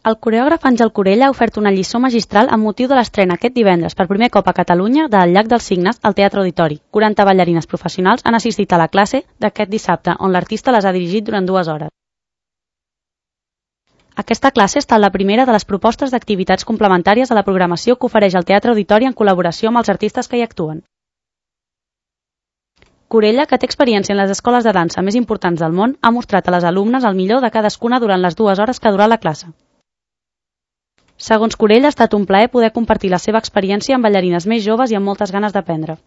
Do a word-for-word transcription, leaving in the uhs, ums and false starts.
El coreògraf Àngel Corella ha ofert una lliçó magistral amb motiu de l'estrena aquest divendres per primer cop a Catalunya de El llac dels cignes al Teatre Auditori. quaranta ballarines professionals han assistit a la classe d'aquest dissabte, on l'artista les ha dirigit durant dues hores. Aquesta classe ha estat la primera de les propostes d'activitats complementàries a la programació que ofereix el Teatre Auditori en col·laboració amb els artistes que hi actuen. Corella, que té experiència en les escoles de dansa més importants del món, ha mostrat a les alumnes el millor de cadascuna durant les dues hores que ha durat la classe. Segons Corella, ha estat un plaer poder compartir la seva experiència amb ballarines més joves i amb moltes ganes d'aprendre.